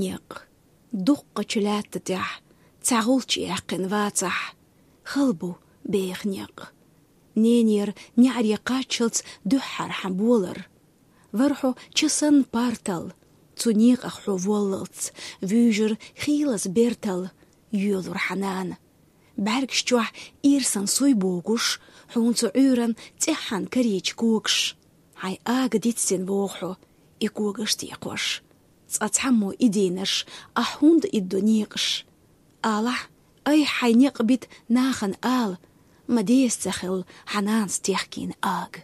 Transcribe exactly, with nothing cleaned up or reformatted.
Некъ. Дуккхача лаьтта тӀехь цхьа гӀулч яьккхина вацахь, хала бу беха некъ. Ненера неӀаре кхаччалц дуьххьара хьан болар. Вар хьо ча санна партал, цу некъах хьо воллалц, вуьйжар хийлаза бертал, йоьлур хьан нана. БӀаьргаш чохь ирсан суй богуш, хьуна цу Ӏуьйран цӀеххьана карийча когаш. Хьайн ага дицдина вогӀу хьо, и когаш тӀе кхош. Цкъа цхьаммо и дийнарш, ахь хӀунда иддо некъаш? Алахь, айхьа хьайн некъ бита нахана ала, ма деза ца хилла хьан нанас техкийна ага.